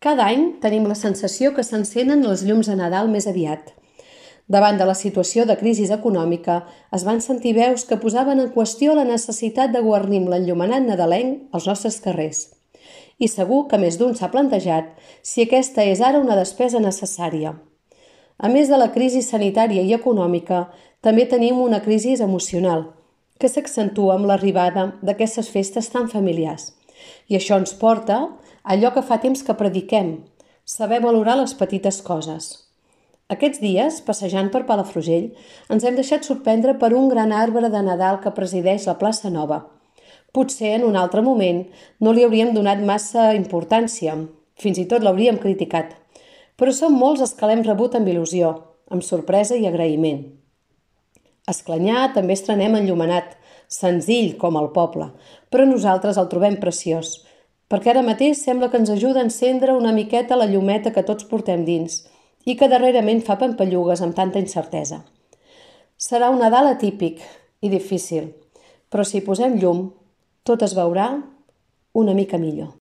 Cada any tenim la sensació que s'encenen les llums de Nadal més aviat. Davant de la situació de crisi econòmica, es van sentir veus que posaven en qüestió la necessitat de guarnir amb l'enllumenat nadalenc als nostres carrers. I segur que més d'un s'ha plantejat si aquesta és ara una despesa necessària. A més de la crisi sanitària i econòmica, també tenim una crisi emocional, que s'accentua amb l'arribada d'aquestes festes tan familiars. I això ens porta a allò que fa temps que prediquem, saber valorar les petites coses. Aquests dies, passejant per Palafrugell, ens hem deixat sorprendre per un gran arbre de Nadal que presideix la plaça Nova. Potser en un altre moment no li hauríem donat massa importància, fins i tot l'hauríem criticat. Però som molts els que l'hem rebut amb il·lusió, amb sorpresa i agraïment. A Esclanyà també estrenem enllumenat, senzill com el poble, però nosaltres el trobem preciós, perquè ara mateix sembla que ens ajuda a encendre una miqueta la llumeta que tots portem dins i que darrerament fa pampallugues amb tanta incertesa. Serà un Nadal atípic i difícil, però si hi posem llum, tot es veurà una mica millor.